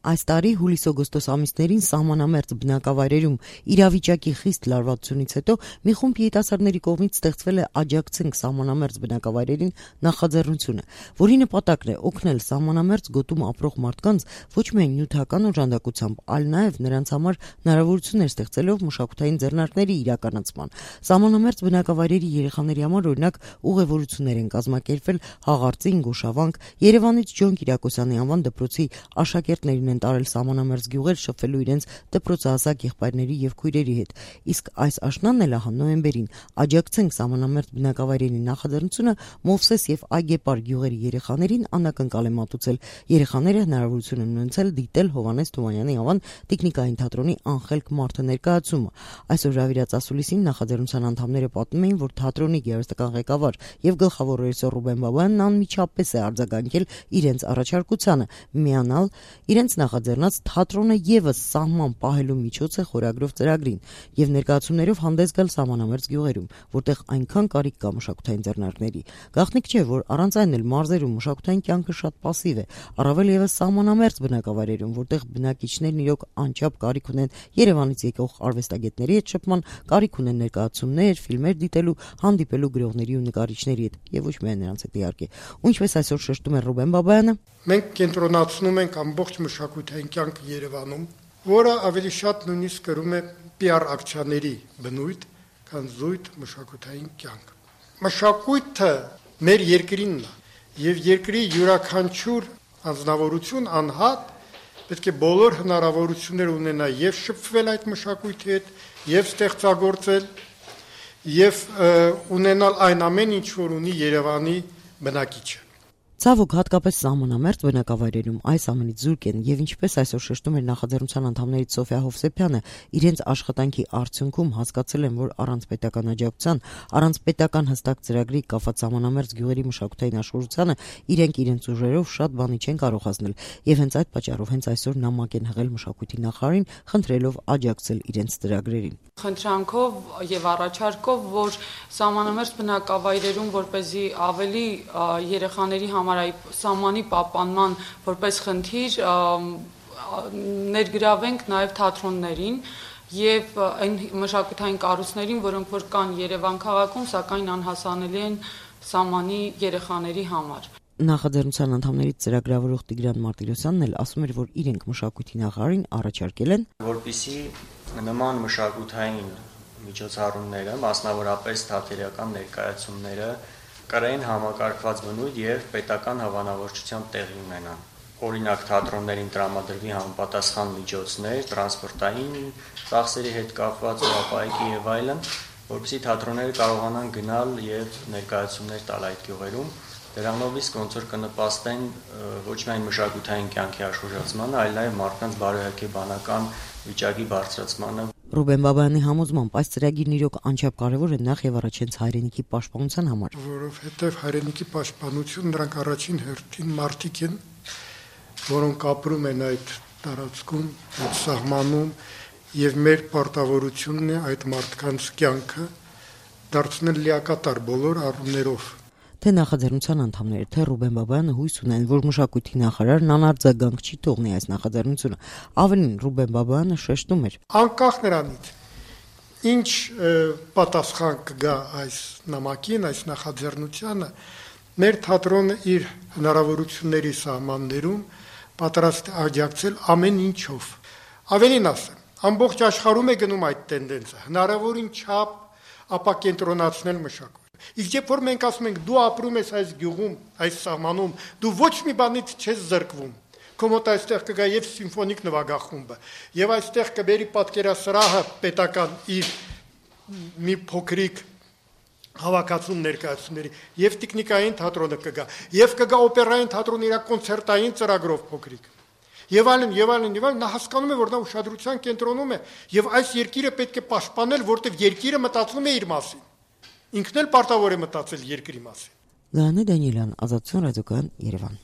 Այս տարի հուլիս-օգոստոս ամիսներին սահմանամերձ բնակավայրերում իրավիճակի խիստ լարվածությունից հետո մի խումբ երիտասարդների կողմից ստեղծվել է «Աջակցենք սահմանամերձ բնակավայրերին» նախաձեռնությունը, որի նպատակն է օգնել սահմանամերձ գոտում ապրող մարդկանց ոչ միայն նյութական օժանդակությամբ, այլ նաև նրանց համար հնարավորություններ ստեղծելով մշակութային ձեռնարկների իրականացման։ Սահմանամերձ բնակավայրերի երեխաների համար օրինակ ուղևորություններ են կազմակերպվել Հաղարծին, Գոշավանք, Երևանից Ջոն Կիրակոսյանի անվան դպրոցի աշակերտներին են տարել սահմանամերձ գյուղեր շփվելու իրենց դպրոցահասակ եղբայրների եւ քույրերի հետ։ Իսկ այս աշնանն էլ նոյեմբերին «Աջակցենք սահմանամերձ բնակավայրերի» նախաձեռնությունը Մովսես եւ Այգեպար գյուղերի երեխաներին անակնկալ է մատուցել։ Երեխաները հնարավորություն են ունեցել դիտել Հովհաննես Թումանյանի անվան տիկնիկային թատրոնի «Անխելք մարդը» ներկայացումը։ Այսօր հրավիրած ասուլիսին նախաձեռնության անդամները պատմում էին, որ թատրոնի գեղարվեստական ղեկավար եւ գլխավոր ռեժիսոր Ռուբեն Բաբայանն անմիջապես է արձագանքել իրենց առաջարկությանը միանալ իրենց նախաձեռնած «Թատրոնը եւս սահման պահելու միջոց է» խորագրով ծրագրին եւ ներկայացումներով հանդես գալ սահմանամերձ գյուղերում, որտեղ այնքան կարիք կա մշակութային ձեռնարկների։ Գաղտնիք չէ, որ առանց այն էլ մարզերում մշակութային կյանքը շատ պասիվ է, առավել եւս սահմանամերձ բնակավայրերում, որտեղ բնակիչներն իրոք անչափ կարիք ունեն Երևանից եկող արվեստագետների հետ շփման, կարիք ունեն ներկայացումներ, ֆիլմեր դիտելու, հանդիպելու գրողների ու նկարիչների հետ եւ ոչ միայն նրանց հետ իհարկե։ Ու ինչպես այսօր շեշտում է Ռուբեն Բաբայանը, մենք կենտրոնացնում ենք ամբողջ մշակութային կյանքը Երևանում, որը ավելի շատ նույնիսկ կրում է PR ակցիաների բնույթ, քան զույգ մշակութային կյանք։ Մշակույթը մեր երկրինն է եւ երկրի յուրաքանչյուր անձնավորություն անհատ պետք է բոլոր հնարավորություններ ունենա եւ շփվել այդ մշակույթի հետ, եւ ստեղծագործել, եւ ունենալ այն ամեն ինչ, որ ունի Երևանի բնակիչը։ Ցավոք հատկապես սահմանամերձ բնակավայրերում այս ամենից զուրկ են եւ ինչպես այսօր շեշտում էր նախաձեռնության անդամներից Սոֆիա Հովսեփյանը, իրենց աշխատանքի արդյունքում հասկացել են, որ առանց պետական աջակցության, առանց պետական հստակ ծրագրի կապված սահմանամերձ գյուղերի մշակութային աշխուժությանը իրենք իրենց ուժերով շատ բանի չեն կարող հասնել եւ հենց այդ պատճառով հենց այսօր նամակ են հղել մշակույթի նախարարին, խնդրելով աջակցել իրենց ծրագրերին։ Խնդրանքով եւ առաջարկով, որ սահմանամերձ բնակավայրերում որպեսզի ավելի երեխաների համար այ սահմանի պահպանման որպես խնդիր ներգրավենք նաեւ թատրոններին եւ այն մշակութային կառույցներին, որոնք որ կան Երևան քաղաքում, սակայն անհասանելի են սահմանի երեխաների համար։ Նախաձեռնության անդամներից ծրագրավորող Տիգրան Մարտիրոսյանն էլ ասում էր, որ իրենք մշակույթի նախարարին առաջարկել են, որպեսզի նման մշակութային միջոցառումները, մասնավորապես թատերական ներկայացումները կրեն համակարգված բնույթ եւ պետական հավանավորչությամբ տեղի ունենան։ Օրինակ թատրոններին տրամադրվի համապատասխան միջոցներ, տրանսպորտային ծախսերի հետ կապված ապահովի եւ այլն, որպեսզի թատրոնները կարողանան գնալ եւ ներկայացումներ տալ այդ գյուղերում։ Դրանով իսկ ոնց որ կնպաստեն ոչ միայն մշակութային կյանքի աշխուժացմանը, այլ նաեւ մարդկանց բարոյակեբանական վիճակի բարձրացմանը։ Ռուբեն Բաբայանի համոզմամբ այս ծրագիրն իրոք անչափ կարևոր է նախ եւ առաջ հենց հայրենիքի պաշտպանության համար, որովհետեւ հայրենիքի պաշտպանություն նրանք առաջին հերթին մարդիկ են, որոնք ապրում են այդ տարածքում, այդ սահմանում եւ մեր պարտավորությունն է այդ մարդկանց կյանքը դարձնել լիակատար բոլոր առումներով։ Թե նախաձեռնության անդամները, թե Ռուբեն Բաբայանը հույս ունեն, որ մշակույթի նախարարն անարձագանք չի թողնի այս նախաձեռնությունը։ Ավելին Ռուբեն Բաբայանը շեշտում էր. Անկախ նրանից, ինչ պատասխան կգա այս նամակին, այս նախաձեռնությանը, մեր թատրոնը իր հնարավորությունների սահմաններում պատրաստ է աջակցել ամեն ինչով։ Ավելին ասեմ, ամբողջ աշխարհում է գնում այդ տենդենսը, հնարավորին չափ ապակենտրոնացնել մշակույթ։ Իսկ երբ որ մենք ասում ենք դու ապրում ես այս գյուղում, այս սահմանում, դու ոչ մի բանից չես զրկվում։ Քո մոտ այստեղ կգա եւ սիմֆոնիկ նվագախումբը, եւ այստեղ կբերի պատկերասրահը պետական իր մի փոքրիկ հավաքածուն ներկայացումների, եւ տեխնիկային թատրոնը կգա, եւ կգա օպերային թատրոնը իր կոնցերտային ծրագրով փոքրիկ։ Եվ այլն, նա հասկանում է, որ նա ուշադրության կենտրոնում է, եւ այս երկիրը պետք է պաշտպանել, որտեղ երկիրը մտածում է իր մասին։ Ինքն էլ պարտավոր է մտածել երկրի մասին։ Լանե Դանիելյան, Ազատություն ռադիոկայան, Երևան։